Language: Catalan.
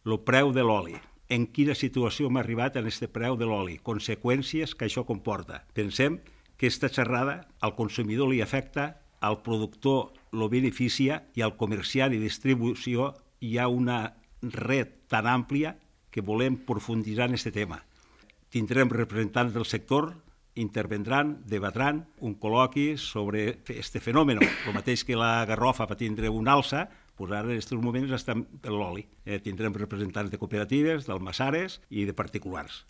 El preu de l'oli. En quina situació hem arribat en aquest preu de l'oli? Conseqüències que això comporta. Pensem que aquesta xerrada al consumidor li afecta, al productor lo beneficia i al comerciant i distribució hi ha una red tan àmplia que volem profunditzar en aquest tema. Tindrem representants del sector, intervendran, debatran un col·loqui sobre aquest fenomen. El mateix que la garrofa va tindre una alça, doncs ara en aquests moments està per l'oli. Tindrem representants de cooperatives, d'almassares i de particulars.